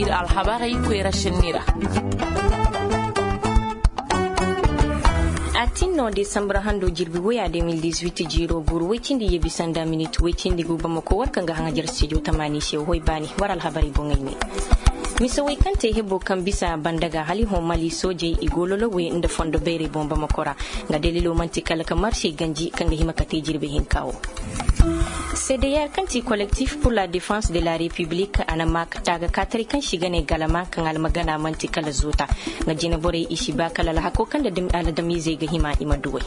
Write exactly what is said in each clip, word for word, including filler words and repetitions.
Ir alhabarey koyra senni ra. A tin no desambur hando jirbi woya de mil dix-huit jiiro buru woy cindi yebi sanda minit woy cindi gu bamako war kaŋ ga haŋajar stijo tamaani se hoy baani war alhabarey boŋey ne. Mise woy kaŋ te hebo kaŋ bisa banda ga hali hõ mali soojey i go lolowey nda fondo beerey boŋ bamako ra. Nga dalilo man'ti kala ka marsey ganji kaŋ ga hima ka te jirbi hinka wo. Sedeyer kaŋ ti kolektif pur la defense de la repiblik a na maa ka taaga kaataray kaŋ si ga ne galama kaŋ almagana man'ti kala zoota. Nga jinaborey i si ba kala alhako kaŋ da aladamiizey ga hima i ma duwey.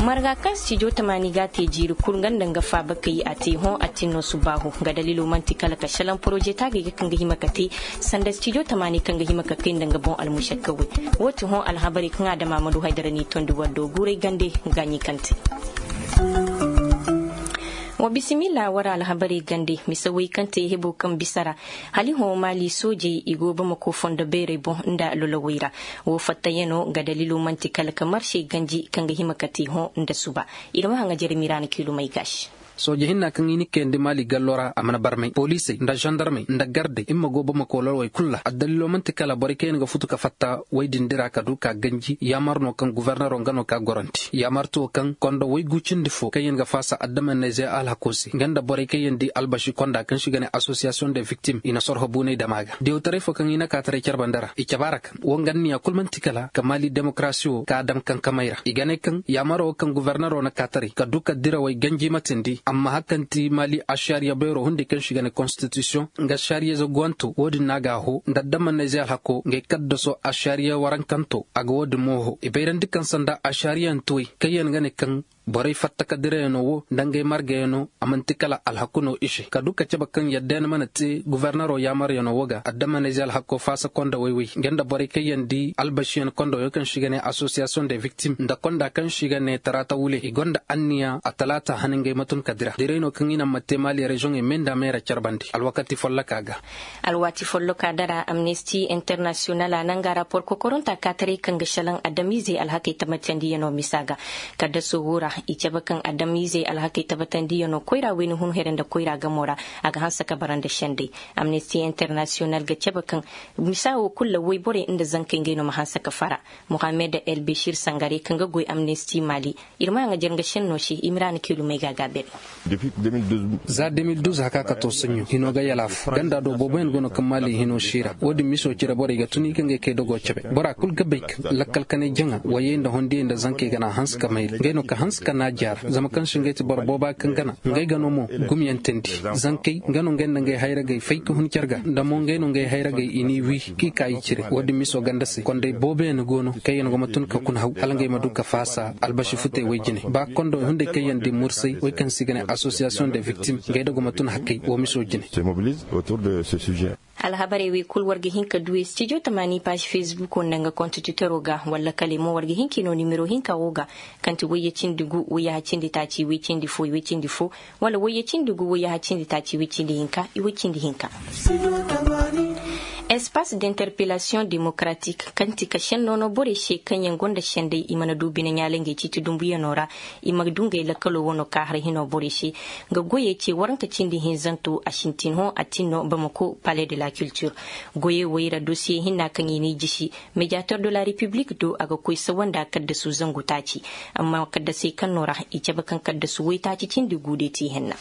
Marga kaŋ stijo tamaani ga a te jiiri kul nga nda nga faabakey a te hõ a tin no subaahu nga dalilo man'ti kala ka šelaŋ poroze taagey ga kaŋ ga hima ka te sanda stijo tamaani kaŋ ga hima ka kay nda nga boŋ almušakkawey. Wo ti hõ alhabarey kaŋ adama ma du haydara n'i tondi war do guuray gande gaaɲi kaŋ te. Wa bisimilla war alhabarey gande mise woy kaŋ te hebo kaŋ bisa ra. Hala i hõ maali soojey i go bamako fondo beerey boŋ nda lolowey ra. Wo fattayaŋo nga dalilo man'ti kala ka marsey ganji kaŋ ga hima ka te hõ nda suba. Ir ma haŋa jere miraana kiilumey gaasi. Sooje hinna kaŋ i na kayandi maali gallo ra a mana barmay poliisey nda zandarmey nda gardey i ma go bamako lolowey kul ra addalilo man'ti kala borey kaŋ yaŋ ga futu ka fatta woy din dira ka du ka ganji yaamar no kaŋ gufornero nga no ka gorandi yaamar to kaŋ kondo woy gu cindi fo kaŋ yaŋ ga faasa adamannayzey alhako se nga nda borey kaŋ yaŋ di albasi konda kaŋ si ga ne asosiyasiyoŋ de viktim i na sorho buunay dama ga diyawtaray fo kaŋ i na kaataray care banda ra i cabe a ra kaŋ wo nga anniya kul man'ti kala ka maali demokarasi wo ka a daŋ kankamey ra i ga ne kaŋ yaamaro wo kaŋ gufornero na kaataray ka du ka dirawey ganji matindi amma hakanti maali ašariya beero hunday kaŋ si ga ne konstitisiyoŋ nga ašariya zaguwanto wo- din no a ga a ho nda adamannayzey alhako ngey kaddaso ašariya warankanto a ga wo- din mo ho i bayrandi kaŋ sanda ašariyantuwey kaŋ yaŋ ga ne kaŋ borey fatta ka dirayaŋo wo nda ngey margayaŋo a man'ti kala alhaku no i se ka du ka cabe kaŋ yadda yaŋ mana te gufornero yaamaryaŋo wo ga adamannayzey alhako faasa konda woy-woy nga nda borey kaŋ yaŋ di albasiyaŋ konda woy kaŋ si ga ne asosiyasiyoŋ de viktim nda konda kaŋ si ga ne taraata wule i gonda anniya a talaata han ngey ma tun ka dira diray no kaŋ i na ma te maali reziyoŋey me nda meera care bande alwakati folloka ga. Alwaati folloka dara amnesti internasiyonal a nanga rapor kokoronta kaataray kaŋ ga šelaŋ adamiizey alhakey tabbatandiyano misa ga. Kaddaso wo ra i cabe kaŋ adamiizey alhakey tabbatandiyano koyra wayna hun here nda koyra gamo ra a ga hanse ka bara nda sendey. Amnesti internasiyonal ga cabe kaŋ misa wo kul ra woyborey nda zankey ngey no ma hanse ka fara. Muhammed el bešir sangare kaŋ ga goy amnesti mali. Ir ma a ŋa jar nga šenno se i ma ra na kiilumey ga gaabere. Za de mil duz haka ka to saɲɲo hino ga yalaafu ganda do booboyaŋ go no kaŋ maali hino siira wo-din miso cire borey ga tun i ga ngey kay dogo cebe bora kul ga bay kaŋ lakkal kanay jaŋa wayey nda hondiyey nda zankey gana hanse ka mayri ngey no ka hanse ka na jaara zama kaŋ se ngey ti boro booba kaŋ gana ngey ga no mo gumyantandi zankey nga no ngey nda ngey hayragey fay ka hun care ga nda mo ngey no ngey hayragey i n'i wi k'i ka i cire wo-din miso ganda se konday booboyaŋ go no kaŋ yaŋ go ma tun ka kuna haw hala ngey ma du ka faasa albasi futey woy jine ba kondo hunday kaŋ yaŋ di mursay woy kaŋ se i ga ne asosiyasiyoŋ de viktim ngey da go ma tun hakkey wo miso jine. Alhabarey wey kul war ga hin ka du studio tamaani paazi fesbuko nda nga kont twitero ga walla kale mo war ga hin k'i no nimero hinka wo ga kaŋ ti wayye cindi gu wayyaha cindi taaci way cindi fo way cindi fo wala wayye cindi gu wayyaha cindi taaci way cindi hinka i way cindi hinka. Espace d'interpellation démocratique kaŋ ti ka senno no borey se kaŋ yaŋ gonda sendey i mana du bine ɲaalay ngey ciiti dumbuyano ra. I ma du ngey lakkalo wano ka har hino borey se. Nga goyey ce waranka cindi hinzanto a sintin hõ a tin no bamako palais de la culture. Goyey wey ra dosiye hinna kaŋ i n'i jisi mediateur de la république do a ga koy sawanda kaddasu zangu taaci. Amma kaddasey kaŋ no ra i cabe kaŋ kaddasu woytaaci cindi guude ti henna.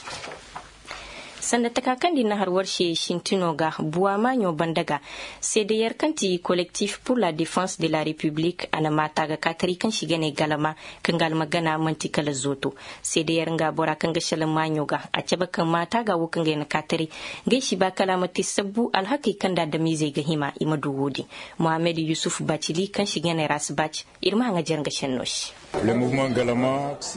Sanda taka kaŋ di na har war se sintino ga buwa maaɲo banda ga. Seedeyer kaŋ ti collectif pour la défense de la république a na maata ga kaatari kaŋ si ga ne galama kaŋ ga almagana manti kala zooto. Seedeyer nga bora kaŋ ga selaŋ maaɲo ga a cabe kaŋ maata ga wo kaŋ ga ay na kaatari. Ngey si ba kala a ma te sabbu alhakey kaŋ da adamizey ga hima i ma du wo-din. Mohamed yusuf bacili kaŋ si ga ne ras bac. Ir ma haŋa jar nga senno se.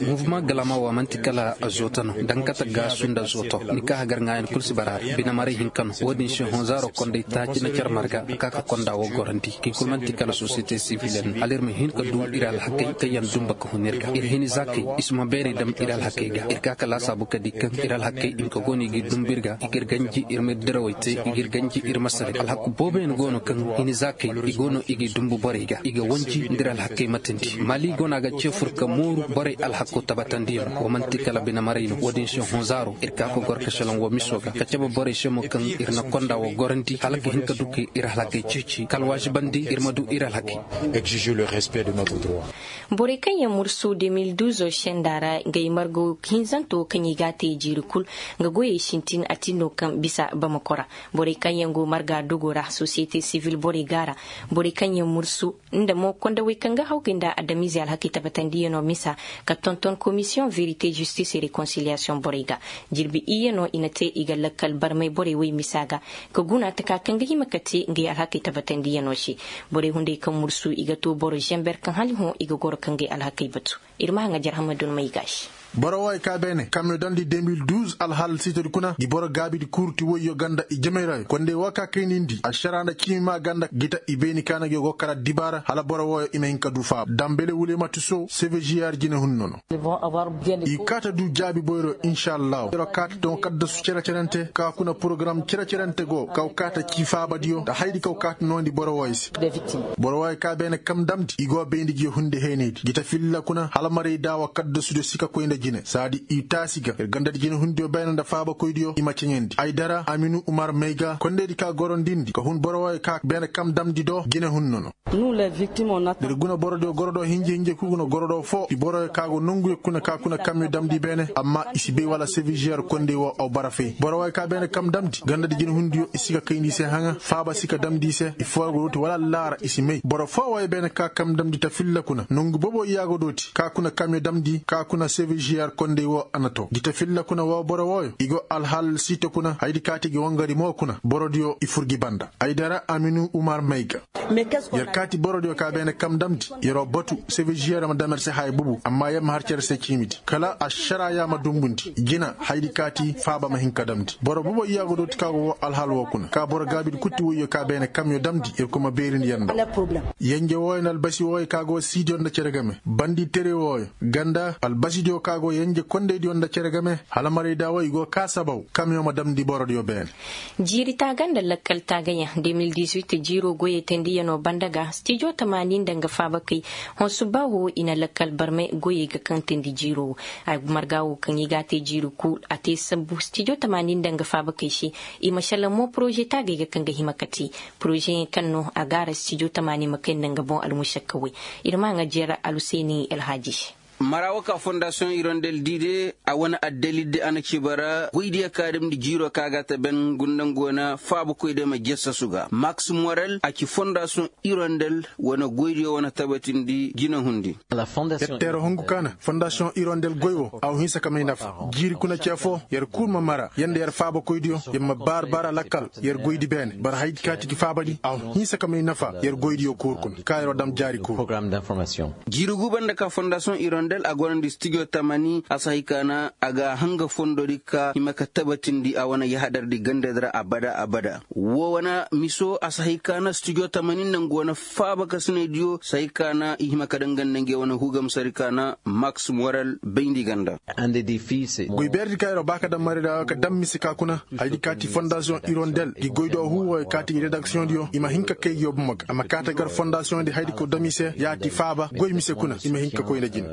Muvuma galama wa manti kala zoto no dankata gaasu nda zoto ni ka hagar ŋaayan kul si bara ra bine maray hinka no wo-din se hõ zaaro konday taaci na car marga ka ka konda wo gorandi ki kul manti kala sosiyete sivil yaŋ no hala ir ma hin ka du ir alhakey kaŋ yaŋ dumba ka hun ir ga ir hini zaakey i si ma beeray dam ir alhakey ga ir ka ka laasaabu ka di kaŋ ir alhakey hinka go no i g'i dumbu ir ga i g'ir ganji ir ma ir dirawey te i g'ir ganji ir ma sara alhaku boobo yaŋ go no kaŋ hini zaakey i go no i g'i dumbu borey ga i ga wanji nda ir alhakey matandi mali go no a ga ce fur ka mooru borey alhako tabatandi yaŋ wo manti kala bine maray no wo-din se hõ zaaro ir ka ka gor ka selaŋ. Wa miso ga ka cabe borey se mo kaŋ ir na konda wa gorandi hala ga hin ka du ka ir alhakey ceeci ka alwaazibandi ir ma du ir alhakey. Borey kaŋ yaŋ mursu de mil duuzo senda ra, ngey margo hinzanto kaŋ i g'a te jiiri kul, nga goyey sintin a tin no kaŋ bisa bamakora. Borey kaŋ yaŋ go marga dogo ra sosiyete sivil borey ga ra, borey kaŋ yaŋ mursu nda mo kondawey kaŋ ga hawgay nda adamize alhakey tabatandiyanoo misa, ka tonton komisiyoŋ verite zistis e rekonsiliyasoŋ borey ga. Jirbi iyyanoo i na te i ga lakkal barmay borey wey misa ga, ka guna taka kaŋ ga hima ka te ngey alhakey tabatandiyanoo se. Borey hunday kaŋ mursu i ga too boro zenber kaŋ hala hõ i ga goro ka ngey alhakey batu. Ir ma haŋajer hamadun may ga se. Boro wooyo ka beene kamiyo damndi de mil duuz alhaal siitodi kuna ngi boro gaabidi kuurti woyyo ganda i jemey ra. Kondey woo ka kaynindi ašaraa nda ciimi maa ganda gita i bayni ka na ngi go kala dibaara hala boro wooyo i ma hin ka du faaba dambele wulematu sow sevežiyar jinehun nono. I kaata du jaabi boyro inšallahu yeroo kaata doŋ kaddasu cere-cerente ka kuna porogaram cere-cerente go kaw kaata cii faabadiyo nda hayadi kaw kaata noondi boro wooyo se. Boro wooyo ka beene kam damndi i go bayndi ngi hunde heenaydi gita filla kuna hala marayda wa kaddasudiyo si ka koy nda jine saadi i taasi ga ir gandadi jinehundiyo beene nda faabakoydiyo i ma ceɲandi ay dara aminu umar may ga kondaydi ka gorondindi ka hun boro wooyo ka beene kam damndi do jinehun nono. Ir guna borodiyo gorodo hinje hinje kul guna gorodo foo i boroyo ka go nonguyo kuna ka kuna kamyo damndi beene amma i si bay wala sevižer kondey woo aw bara fay boro wooyo ka beene kam damndi gandadi jinehundiyo i si ka kayndi i se haŋa faaba si ka damndi i se i foo go dooti wala allaara i si may boro foo wooyo beene ka kam damndi ta filla kuna nongu bobo i yaago dooti ka kuna kamyo damndi ka kuna sevižer kondey woo a na too gi ta filla kuna woo boro wooyo i go alhaal siite kuna hayadi kaati gi wangari mo kuna borodiyo i fur gi banda ay dara aminu umar may ga. Yer kaati borodiyo ka beene kam damndi yeroo batu sevižer ma dam yer se haya bubu amma yer ma har cere se ciimidi kala ašaraa yaa ma dumbundi jina hayadi kaati faaba ma hin ka damndi boro bubo iyaago dooti ka go woo alhaal woo kuna ka boro gaabidi kutti woyyo ka beene kamyo damndi yer kuma beerindi yer nda yenje wooyo nda albasi wooyo ka go siidiyo nda cere game bandi tere wooyo ganda albasidiyo ka go yenje kondaydiyo nda cere game hala marayda woo i go kaa sabaw kamyo ma damndi borodiyo beene. Jiiri taaga nda lakkal taagayaŋ de mil dizuit jiiroo goyey tendiyanoo banda ga stijo tamaani nda nga faabakey honsu ba woo i na lakkal barmay goyey ga kaŋ teendi jiiroo woo. Ay marga woo kaŋ i g'a te jiiri kul a te sambu stijo tamaani nda nga faabakey se. I ma šalla mo poroze taagey ga kaŋ ga hima ka te porozeyaŋ kaŋ no a gaara stijo tamaani ma kay nda nga boŋ almušakkawey. Ir ma haŋa jeera alhuseeni alhaaji se. Mara woo ka fondasiyoŋ irondel di de a wane addalil de a na ci bara goydiyo ka damndi jiiroo ka ga a ta ben gunda nga wane faabakoy de ma jassasu ga maks morel a ci fondasiyoŋ irondel wane goydiyo wane tabatindi jinehundi. Yer teera hungu ka na fondasiyoŋ irondel goy woo a wa hinsa ka may nafa jiiri kuna ce foo yer kul ma mara yer nda yer faabakoydiyo yer ma baara baara lakkal yer goydi beene bara hayadi kaati gi faabadi a wa hinsa ka may nafa yer goydiyo kuur kuna ka yeroo dam jaari kuur. Jiiri gu banda ka fondasiyoŋ irondel a gorandi stijo tamani a si hay ka na a ga hanga fondodi ka hima ka tabatindi a wane yahadardi gandadi ra abada abada. Woo wane miso a si hay ka na stijo tamani nda nga wane faaba kasinaydiyo si hay ka na i hima ka danganda nge wane hugamsari ka na maks morel bayndi ganda. Goy beeredi ka yeroo ba ka dam marayda ka dam mise ka kuna hayadi kaati fondasiyoŋ irondel gi goydo huu wooyo kaati redaksiyoŋdiyo i ma hin ka kay gi yoo bomo ga a ma kaati gar fondasiyoŋdi hayadi ka dam i se yaati faaba goy mise kuna i ma hin ka koy nda jine.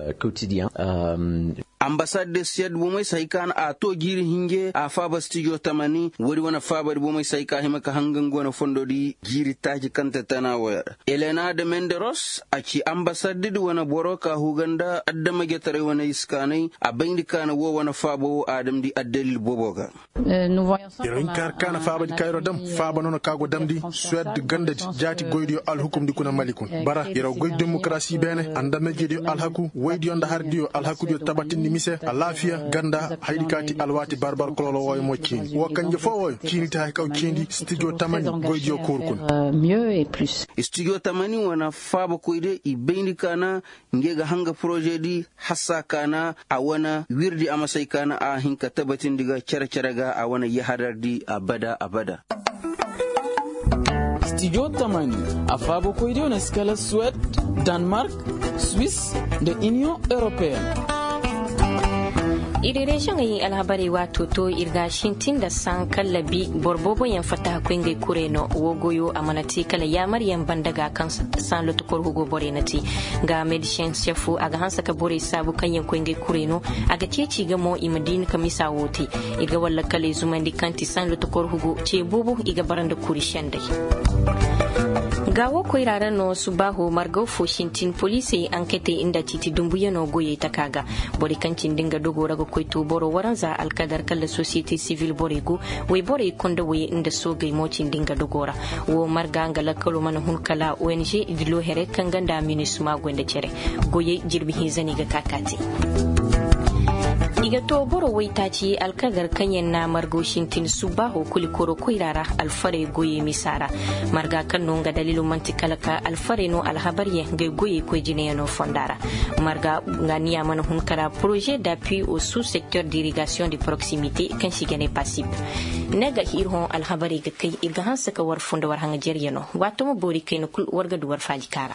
Ambasad de siyad bomey si hay ka na a too jiiri hinje a faaba stijo tamani woodi wane faabadi bomey si hay ka a hima ka hanga nga wane fondodi jiiri taaci kaŋ te tana wooyo ra. Elena de menderos a ci ambasaddidi wane boro ka huga nda adamajetaray wane iskaanay a bayndi ka na woo wane faaba woo a damndi addalil bobo ga. Yer hin ka har kaana faabadi ka yeroo dam faaba noona ka go damndi suwed gandadi jaati goydiyo alhukumdi kuna mali kuna bara yeroo goy demokarasi beene andamejediyo alhaku woydiyo nda hardiyo alhakudiyo tabatindi mise alaafiya ganda hayadi kaati alwaati barbar kololo wooyo mo ciini woo kanje foo wooyo ciini ti haya kaw ciindi stijo tamani goydiyo kuuru kuna. Stijo tamani wane faabakoydiyo i bayndi kaana nge ga hanga porožedi hassa kaana a wane wirdi a masay kaana a hin ka tabatindi ga cere-cere ga a wane yahadardi abada abada. Stijo tamani a faabakoydiyo na si kala suwed, danmark, swis, nda iniyoŋ europeyen. Ir reziyoŋey alhabarey waato to ir ga sintin nda saŋ kallabi boro booboyaŋ fattaha koy ngey kurey no. Woo goyo a mana te kala yaamaryaŋ banda ga kaŋ saŋ lotokor hugo borey na te. Nga medisiyeŋ sefo a ga hanse ka borey saabu kaŋ yaŋ koy ngey kurey no. A ga ceeci ga mo i ma diini ka misa woo te. Ir ga walla kaley zumandi kaŋ ti saŋ lotokor hugo ce boobo i ga bara nda kuri sendey. Ga woo koyra ra no subaaho margaw fo sintin poliisey anketey nda ciiti dumbuyanoo goyey taka ga. Borey kaŋ cindi nga dogoo ra ga koy to boro waranza alkadar kala sosiyete sivil borey go. Woy borey konda woy nda soogey mo cindi nga dogoo ra. Woo marga nga lakkaloo mana hun kala ong dilo here kaŋ ga nda minisma goy nda cere. Goyey jirbi hinza no i ga ka ka te. I ga to boro waytaaci alkadar kaŋ yaŋ na margo sintin subbaaho kuli koro koyra ra alfarey goyey misa ra. Marga kaŋ no nga daliilo man'ti kala ka alfarey no alhabaryaŋ ngey goyey koy jinayaŋo fonda ra. Marga nga niya mana hun kara poroze d'appui au sous secteur d'irrigation de proximité kaŋ se i ga ne pasip. Ne ga ir hõ alhabarey ga kay ir ga hanse ka war funda war haŋajeryaŋo. Waato ma boori kayna kul war ga du war faaji kaara.